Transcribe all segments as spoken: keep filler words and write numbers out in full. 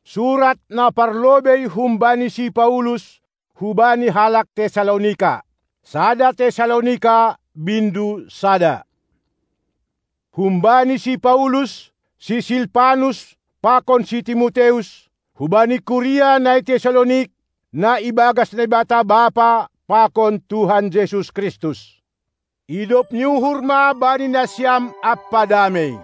Surat na parlobei humbani si Paulus hubani halak Tesalonika. Sada Tesalonika, bindu sada. Humbani si Paulus, si Silpanus, pakon si Timoteus, hubani kuria na i Tesalonik, na ibagas Naibata Bapa pakon Tuhan Jesus Kristus. Idop ni uhur ma bani nasiam ampa damei.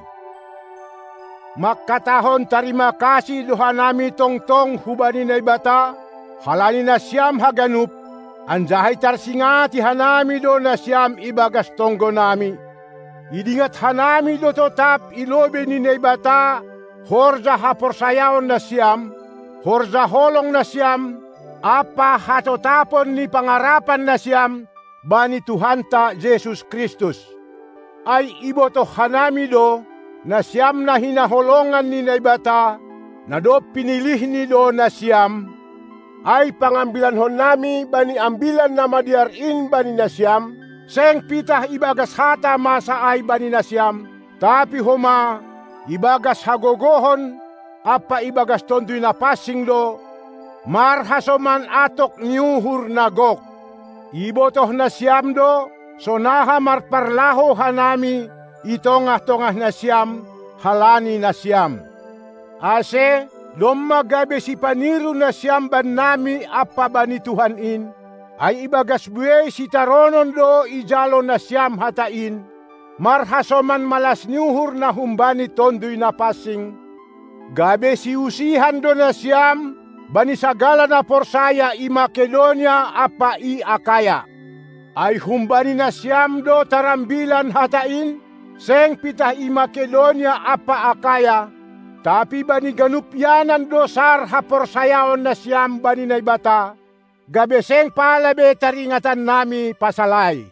Mangkatahon tarima kasih do hanami tongtong hubani Naibata, halani nasiam haganup, anjaha itarsingati hanami do nasiam ibagas tonggonami. Idingat hanami do totap i lobei ni Naibata horja haporsayaon nasiam, horja holong nasiam, ampa hatotapon ni pangarapan nasiam bani Tuhanta Jesus Kristus. Ai ibotoh hanami do, nasiam na hinaholongan ni Naibata, na dob pinilihni do nasiam, ai pangambilankonnami bani Ambilan Namadear in bani nasiam, seng pitah ibagas hata masa ai bani nasiam, tapi homa ibagas hagogohon ampa ibagas Tonduy Napansing do, marhasoman atok ni uhur na gok. Ibotoh nasiam do, sonaha marparlahou hanami i tongah-tongah nasiam, halani nasiam. Ase, domma gabe sipaniru nasiam bannami ampa bani Tuhan in, ai ibagas buei sitaronon do ijalo nasiam hata in, marhasoman malas ni uhur na humbani Tonduy Napansing, gabe siusihan do nasiam bani sagala na porsaya i Makedonia ampa i Akaya. Ai humbani nasiam do tarambilan hata in, seng pitah i Makedonia ampa Akaya, tapi bani ganup ianan do sar haporsayaon nasiam bani Naibata, gabe seng pala be taringatannami pasal ai.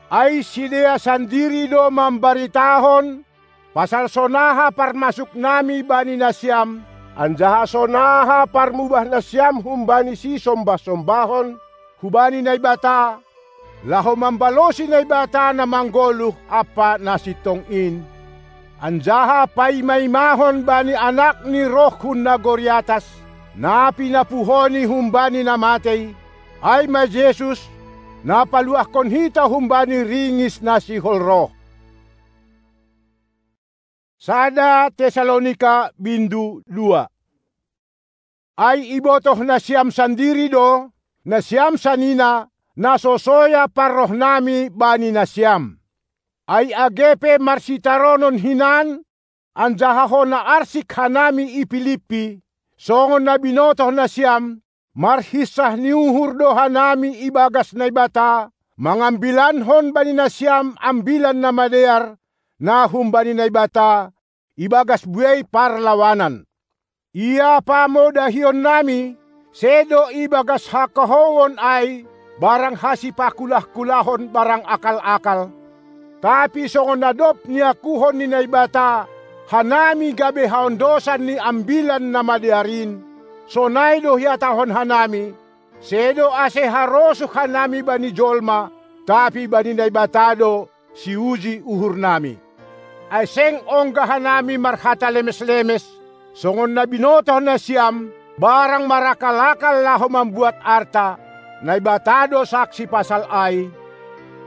Ai sidea sandiri do mambaritahon pasal sonaha parmasuknami bani nasiam, anjaha sonaha parmubah nasiam humbani sisombah-sombahon hubani Naibata, laho mambalosi Naibata na manggoluh ampa na sintong in, anjaha paima-imahon bani Anak ni roh hun nagori atas, na pinapuhoni humbani na matei, ai ma Jesus, na paluahkon hita humbani ringis na sihol roh. Sada Tesalonika, bindu dua. Ai ibotoh nasiam sandiri do, nasiam sanina, na so soya parrohnami bani nasiam. Ai age pe marsitaronon hinan, anjaha hona arsik hanami i Pilippi, songon na binotoh nasiam, marhinsah ni uhur do hanami ibagas Naibata, mangambilankon bani nasiam Ambilan Namadear, na humbani Naibata, ibagas buei parlawanan. Ia pamodahionnami, sedo ibagas hakohouon ai, barang hasipakulah-kulahon barang akal-akal. Tapi songon na dob niakuhon ni Naibata hanami gabe haondosan ni Ambilan Namadear in, sonai do ihatahon hanami, sedo ase harosuh hanami bani jolma, tapi bani Naibata do siuji uhurnami. Ai seng ongga hanami marhata lemes-lemes, songon na binotoh nasiam, barang marakal-akal laho mambuat arta, Naibata do saksi pasal ai,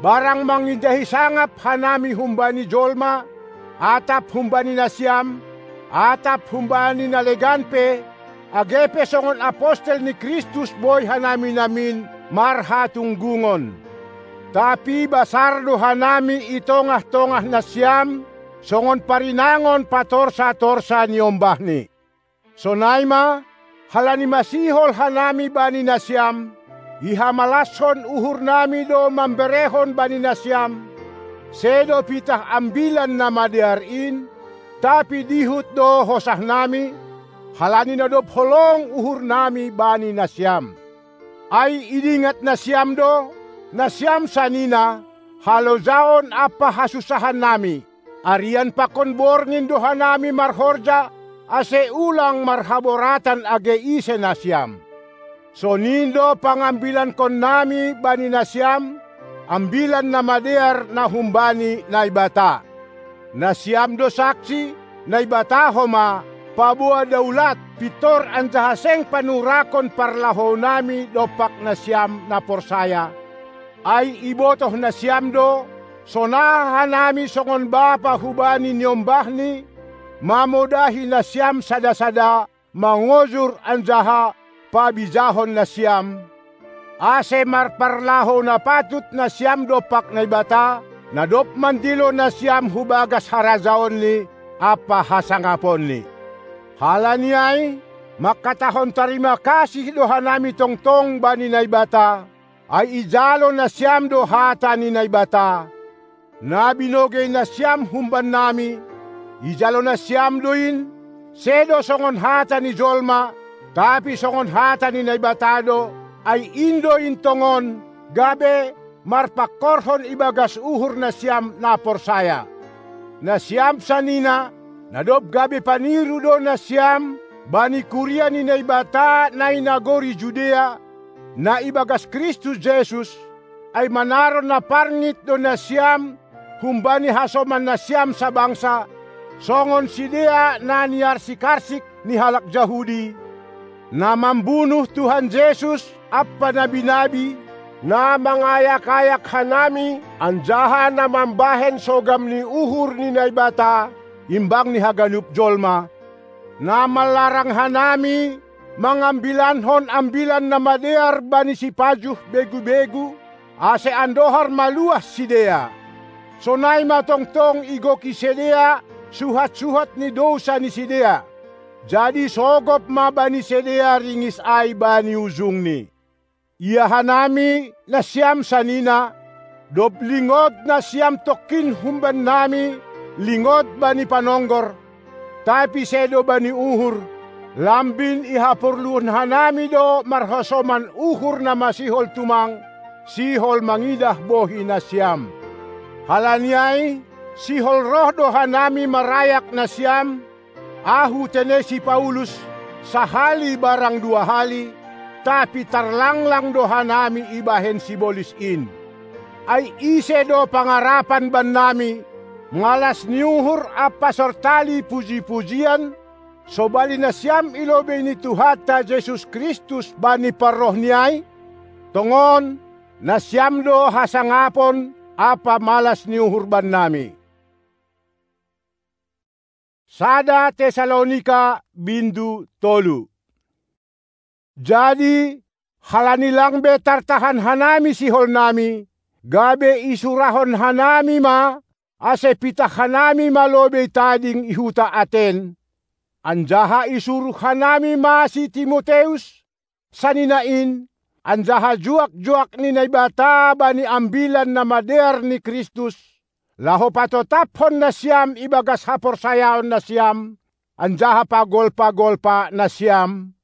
barang mangindahi sangap hanami humbani jolma, atap humbani nasiam, atap humbani na legan pe, age pe songon apostel ni Kristus boi hanami namin marhatunggungon. Tapi basar do hanami i tongah-tongah nasiam, songon parinangon patorsa-torsa niombahni. Sonai ma, halani masihol hanami bani nasiam, ihamalashon uhurnami do mamberehon bani nasiam, sedo pitah Ambilan Namadear in, tapi dihut do hosahnami, halani na dob holong uhurnami bani nasiam. Ai idingat nasiam do, nasiam sanina, halojaon ampa hasunsahannami, arian pakon borngin do hanami marhorja, ase ulang marhaboratan age ise nasiam. Sonin do pangambilankonnami bani nasiam, Ambilan Namadear na humbani Naibata. Nasiam do saksi, Naibata homa, paboa daulat, pintor anjaha seng panurakon parlahounami dompak nasiam na porsaya. Ai ibotoh nasiam do, sonaha hanami songon bapa hubani niombahni, mamodahi nasiam sada-sada, mangojur anjaha pabijahon nasiam, ase marparlahou na patut nasiam dompak Naibata, na dob mandilo nasiam hu bagas harajaonNi ampa hasangaponni. Halani ai, mangkatahon tarima kasih do hanami tongtong bani Naibata, ai ijalo nasiam do hata ni Naibata. Na binogei nasiam humbannami, ijalo nasiam do in, sedo songon hata ni jolma, tapi songon hata ni Naibata do, ai in do in tongon, gabe marpangkorhon ibagas uhur nasiam na porsaya. Nasiam sanina, na dob gabe paniru do nasiam bani kuria ni Naibata na i nagori Judea, na ibagas Kristus Jesus, ai manaron na parngit do nasiam humbani hasoman nasiam sabangsa, songon sidea na niarsik-arsik ni halak Jahudi, na mambunuh Tuhan Jesus ampa nabi-nabi, na mangayak-ayak hanami anjaha na mambahen sogam ni uhur ni Naibata imbang ni haganup jolma, na manlarang hanami mangambilankon Ambilan Namadear bani sipajuh begu-begu, ase andohar maluah sidea. Sonai ma tongtong igoki sidea suhat-suhat ni dousa ni sidea. Jadi sogop ma bani sidea ringis ai bani ujungni. Ia hanami, nasiam sanina, dob lingot nasiam tongkin humbannami, lingot bani panonggor, tapi sedo bani uhur, lambin ihaporluhon hanami do marhasoman uhur na masihol tumang, sihol mangidah bohi nasiam. Halani ai, sihol roh do hanami marayak nasiam, ahu tene si Paulus, sahali barang dua hali, tapi tarlanglang do hanami ibahen sibolis in. Ai ise do pangarapan bannami, malas ni uhur ampa sortali puji-pujian, sobali nasiam i lobei ni Tuhanta Jesus Kristus bani parrohNi ai? Tongon, nasiam do hasangapon ampa malas ni uhur bannami. Sada Tesalonika bindu tolu. Jadi, halani lang be tartahan hanami siholnami, gabe isurahon hanami ma, ase pitah hanami ma lobei tading i huta Aten. Anjaha isuruh hanami ma si Timoteus, sanina in, anjaha juak-juak ni Naibata bani Ambilan Namadear ni Kristus, laho patotaphon nasiam ibagas haporsayaon nasiam, anjaha pagolpa-golpa nasiam,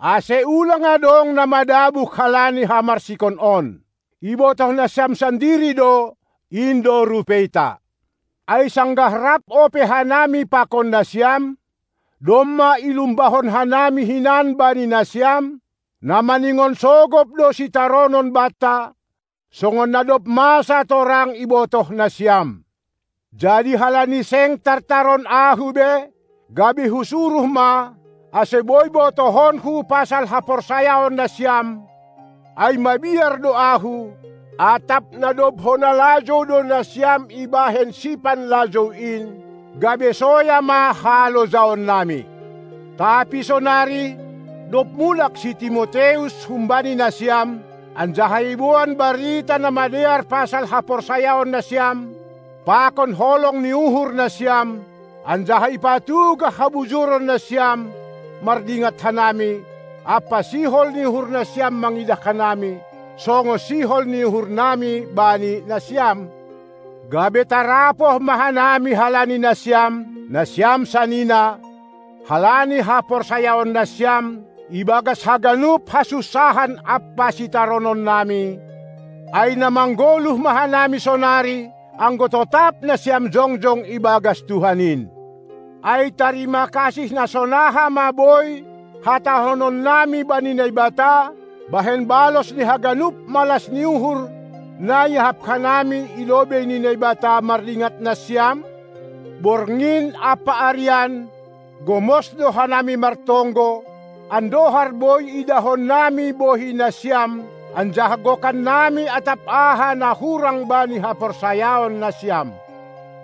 ase ulang adong na madabuk halani hamarsikon on. Ibotoh nasiam sandiri do, in do rupeita. Ai sanggah rap ope hanami pakon nasiam, domma ilumbahon hanami hinan bani nasiam, na maningon sogop do sitaronon banta, songon na dob masa torang ibotoh nasiam. Jadi halani seng tartaron ahu be, gabe husuruh ma, ase boi botohonku pasal haporsayaon nasiam, ai mabiar do ahu, atap na dob hona lajou do nasiam ibahen sipanlajou in, gabe soya ma halojaonnami. Tapi sonari, dob mulak si Timoteus humbani nasiam, anjaha iboan barita na madear pasal haporsayaon nasiam, pakon holong ni uhur nasiam, anjaha ipatugah habujuron nasiam, mardingat hanami, ampa sihol ni uhur nasiam mangidah hanami, songon sihol ni uhurnami bani nasiam. Gabe tarapoh ma hanami halani nasiam, nasiam sanina, halani haporsayaon nasiam, ibagas haganup hasunsahan ampa sitarononnami, ai na manggoluh ma hanami sonari, anggo totap nasiam jongjong ibagas Tuhan in. Ai tarima kasih na sonaha ma boi hatahononnami bani Naibata, bahen balos ni haganup malas ni uhur na iahap hanami i lobei ni Naibata mardingat nasiam? Borngin ampa arian, gomos do hanami martonggo, andohar boi idahonnami bohi nasiam, anjaha gokannami atap aha na hurang bani haporsayaon nasiam.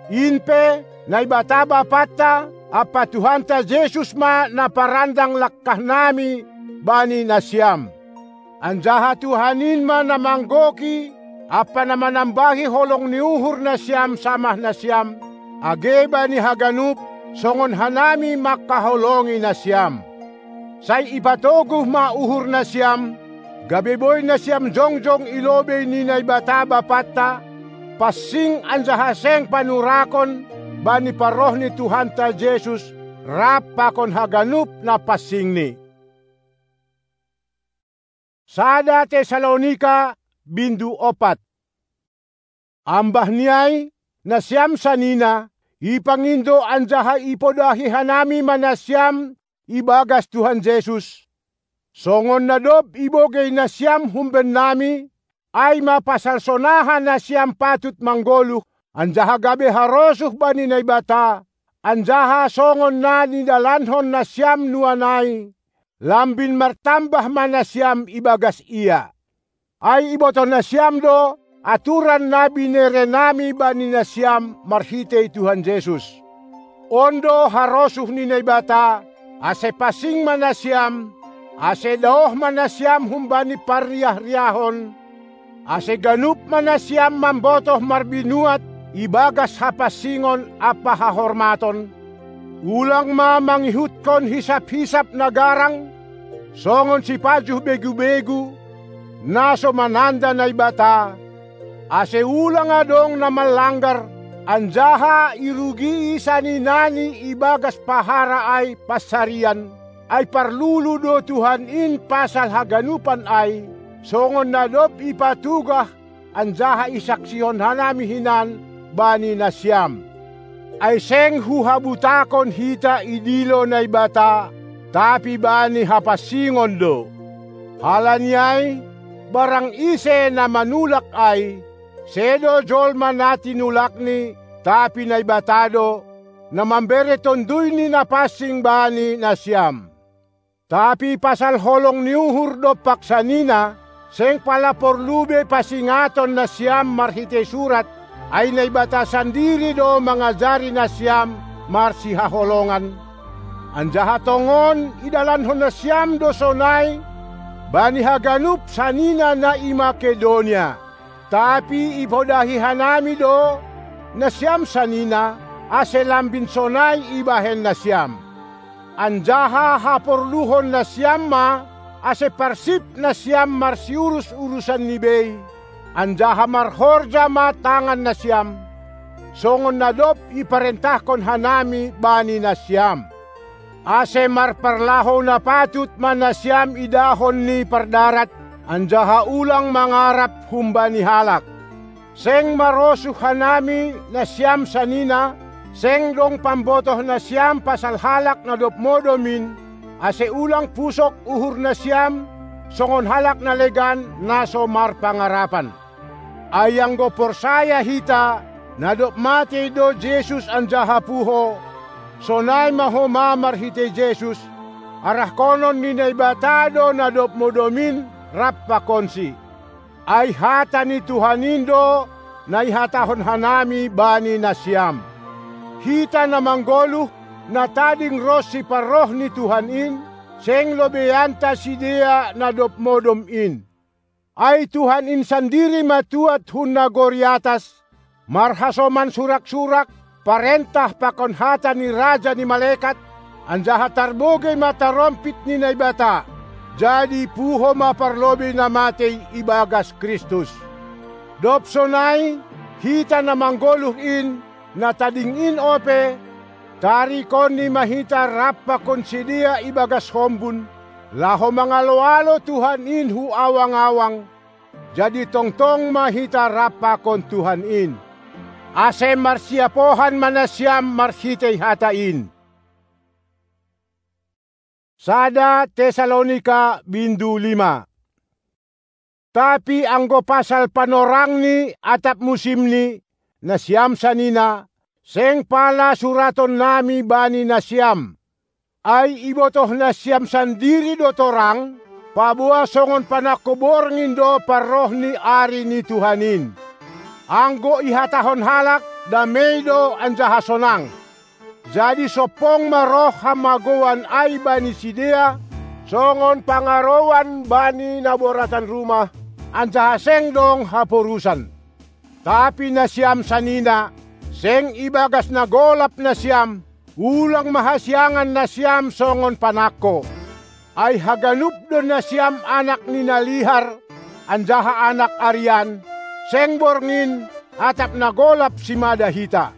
In pe, Naibata Bapanta ampa Tuhanta Jesus ma na parandang langkahnami bani nasiam. Anjaha Tuhan in ma na manggoki ampa na manambahi holong ni uhur nasiam samah nasiam, age bani haganup, songon hanami mangkaholongi nasiam. Sai ipatoguh ma uhur nasiam, gabe boi nasiam jongjong i lobei ni Naibata Bapanta, pansing anjaha seng panurakon bani parroh ni Tuhanta Jesus rap pakon haganup na pansingni. Sada Tesalonika, bindu opat. Ambah ni ai, nasiam sanina, ipangindo anjaha ipodahi hanami ma nasiam ibagas Tuhan Jesus, songon na dob ibogei nasiam humbennami, ai ma pasal sonaha nasiam patut manggoluh, anjaha gabe harosuh bani Naibata, anjaha songon na nidalankon nasiam nuan ai, lambin martambah ma nasiam ibagas Ia. Ai ibotoh nasiam do aturan na binerenami bani nasiam marhitei Tuhan Jesus. On do harosuh ni Naibata, ase pansing ma nasiam, ase daoh ma nasiam humbani parriahriahon, ase ganup ma nasiam mambotoh marbinuat ibagas hapansingon ampa hahormaton. Ulang ma mangihutkon hisaphisap na garang, songon sipajuh begubegu, na so mananda Naibata, ase ulang adong na manlanggar, anjaha irugii saninani ibagas pahara ai pansarian, ai parlulu do Tuhan in pasal haganupan ai, songon na dob ipatugah anjaha isaksihon hanami hinan bani nasiam. Ai seng huhabutakon hita idilo Naibata, tapi bani hapansingon do. Halani ai, barang ise na manulak ai, sedo jolma na tinulakni, tapi Naibata do, na mambere Tonduy ni Na Pansing bani nasiam. Tapi pasal holong ni uhur dompak sanina, seng pala porlu be pasingaton nasiam marhitei surat, ai Naibata sandiri do mangajari nasiam marsihaholongan. Anjaha tongon idalankon nasiam do sonai bani haganup sanina na i Makedonia. Tapi ipodahi hanami do nasiam sanina, ase lambin sonai ibahen nasiam. Anjaha haporluhon nasiam ma, ase parsip nasiam marsiurus-urusan ni bei, anjaha marhorja ma tangan nasiam, songon na dob iparentahkon hanami bani nasiam. Ase marparlahou na patut ma nasiam idahon ni pardarat, anjaha ulang mangarap humbani halak. Seng marosuh hanami nasiam sanina, seng dong pambotoh nasiam pasal halak na dob modom in, ase ulang pusok uhur nasiam, songon halak na legan na so marpangarapan. Ai anggo porsaya hita, na dob matei do Jesus anjaha puho, sonai ma homa marhitei Jesus, arahkonon ni Naibata do na dob modom in rap pakonsi. Ai hata ni Tuhan in do na ihatahon hanami bani nasiam. Hita na manggoluh, na tading ronsi parroh ni Tuhan in, seng lobeanta sidea na dob modom in. Ai Tuhan in sandiri ma tuat hun nagori atas, marhasoman surak-surak, parentah pakon hata ni raja ni malekat, anjaha tarbogei ma tarompit ni Naibata, jadi puho ma parlobei na matei ibagas Kristus. Dob sonai, hita na manggoluh in, na tading in ope, tarikonni ma hita rap pakon sidea ibagas hombun, laho mangalo-alo Tuhan in hu awang-awang, jadi tongtong ma hita rap pakon Tuhan in. Ase marsiapohan ma nasiam marhitei hata in. Sada Tesalonika bindu lima. Tapi anggo pasal panorangni atap musimni, nasiam sanina, seng pala suratonnami bani nasiam. Ai ibotoh nasiam sandiri do torang, paboa songon panangko borngin do parroh ni ari ni Tuhan in. Anggo ihatahon halak, damei do anjaha sonang. Jadi sompong ma roh hamagoan ai bani sidea, songon pangarouan bani naboratan rumah, anjaha seng dong haporusan. Tapi nasiam sanina, seng ibagas na golap nasiam, ulang ma hasiangan nasiam songon panangko. Ai haganup do nasiam anak ni na lihar, anjaha anak arian, seng borngin, atap na golap simada hita.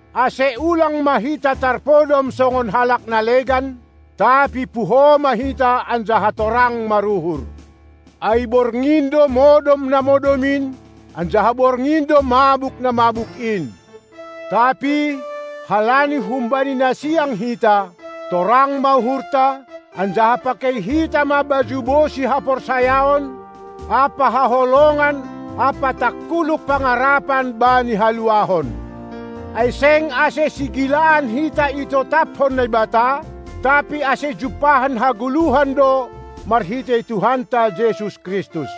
Ase ulang ma hita tarpodom songon halak na legan, tapi puho ma hita anjaha torang maruhur. Ai borngin do modom na modom in, anjaha borngin do mabuk na mabuk in. Tapi, halani humbani na siang hita, torang ma uhurta, anjaha pakei hita ma baju bosi haporsayaon, ampa haholongan, ampa tangkuluk pangarapan bani haluahon. Ai seng ase sigilaan hita itotaphon Naibata, tapi ase jumpahan hagoluhan do marhitei Tuhanta Jesus Kristus.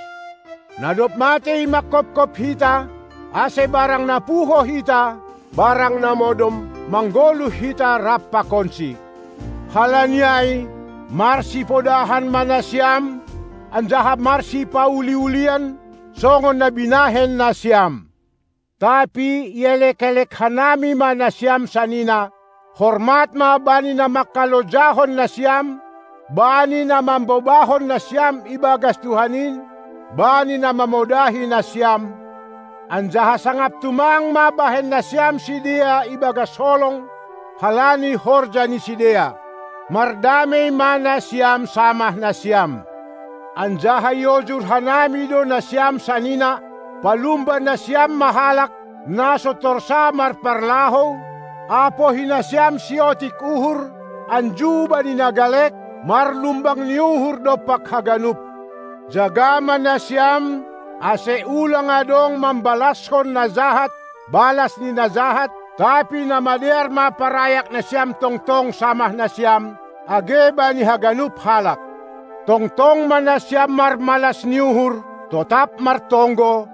Na dob matei manghophop hita, ase barang na puho hita, barang na modom, manggoluh hita rap pakonsi. Halani ai, marsipodahan ma nasiam, anjaha marsipauliulian, songon na binahen nasiam. Tapi ielekelek hanami ma nasiam sanina, hormat ma bani na mangkalojahon nasiam, bani na mambobahon nasiam ibagas Tuhan in, bani na mamodahi nasiam. Anjaha sangap tumang ma bahen nasiam sidea ibagas holong, halani horja ni sidea. Mardamei ma nasiam samah nasiam. Anjaha iojur hanami do nasiam sanina, palumba nasiam ma halak, na so torsa marparlahou, apohi nasiam siotik uhur, anju bani na galek, marlumbang ni uhur dompak haganup. Jaga ma nasiam, ase ulang adong mambalashon na jahat, balas ni na jahat, tapi na madear ma parayak nasiam tongtong samah nasiam, age bani haganup halak. Tongtong ma nasiam marmalas ni uhur, totap martonggo,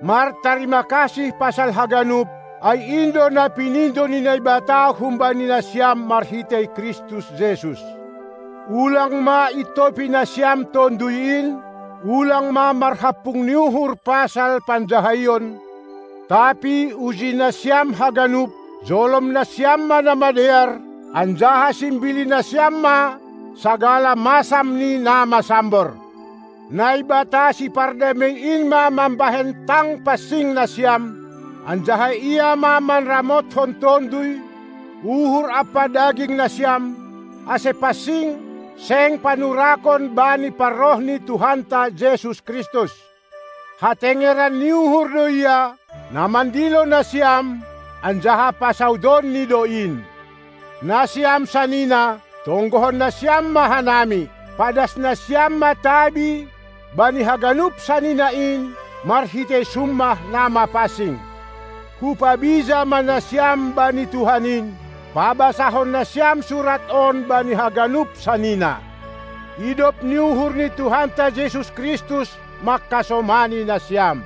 martarima kasih pasal haganup, ai in do na pinindo ni Naibata humbani nasiam marhitei Kristus Jesus. Ulang ma intopi nasiam Tonduy in, ulang ma marhampung ni uhur pasal panjahaion, tapi uji nasiam haganup, jolom nasiam ma na madear, anjaha simbili nasiam ma sagala masam ni na masambor. Naibata sipardamei in ma mambahen tang pansing nasiam, anjaha Ia ma manramothon tonduy, uhur ampa daging nasiam, ase pansing, seng panurakon bani parroh ni Tuhanta Jesus Kristus. Hatengeran ni uhur do Ia, na mandilo nasiam, anjaha pasaudonNi do in. Nasiam sanina, tonggohon nasiam ma hanami, padas nasiam ma tabi, bani haganup sanina in, marhitei summah na mapansing. Hupabija ma nasiam bani Tuhan in, pabasahon nasiam surat on bani haganup sanina. Idop ni uhur ni Tuhanta Jesus Kristus mangkasomani nasiam.